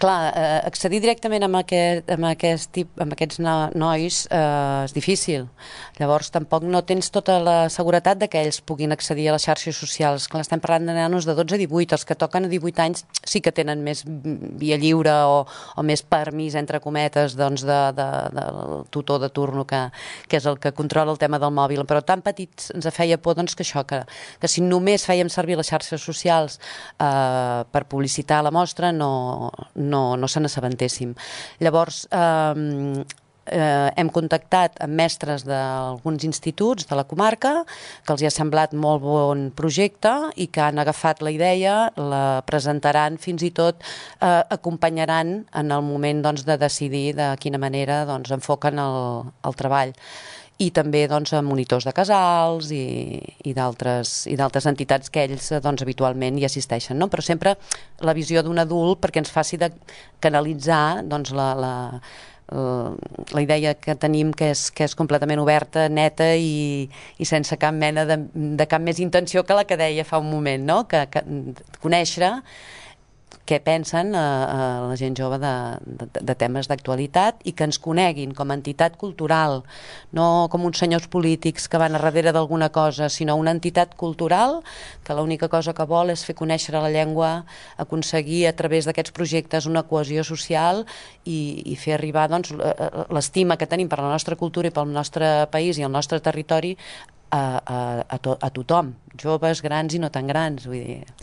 Clar, accedir directament amb aquests nois és difícil. Llavors tampoc no tens tota la seguretat de que ells puguin accedir a les xarxes socials. Clar, estem parlant de nanos de 12 a 18, els que toquen a 18 anys sí que tenen més via lliure o més permís, entre cometes, doncs del tutor de turno que és el que controla el tema del mòbil, però tan petits ens feia por doncs, que això, que si només fèiem servir les xarxes socials per publicitar la mostra no se n'assabentéssim. Llavors, hem contactat amb mestres d'alguns instituts de la comarca que els hi ha semblat molt bon projecte i que han agafat la idea, la presentaran, fins i tot acompanyaran en el moment doncs, de decidir de quina manera doncs, enfoquen el treball. I també doncs, monitors de casals i d'altres entitats que ells doncs, habitualment hi assisteixen, no? Però sempre la visió d'un adult perquè ens faci de canalitzar doncs, la idea que tenim que és completament oberta, neta i sense cap mena de cap més intenció que la que deia fa un moment, no? Que conèixer què pensen la gent jove de temes d'actualitat i que ens coneguin com a entitat cultural, no com uns senyors polítics que van a darrere d'alguna cosa, sinó una entitat cultural que l'única cosa que vol és fer conèixer la llengua, aconseguir a través d'aquests projectes una cohesió social i fer arribar doncs, l'estima que tenim per la nostra cultura i pel nostre país i el nostre territori a tothom, joves, grans i no tan grans, vull dir.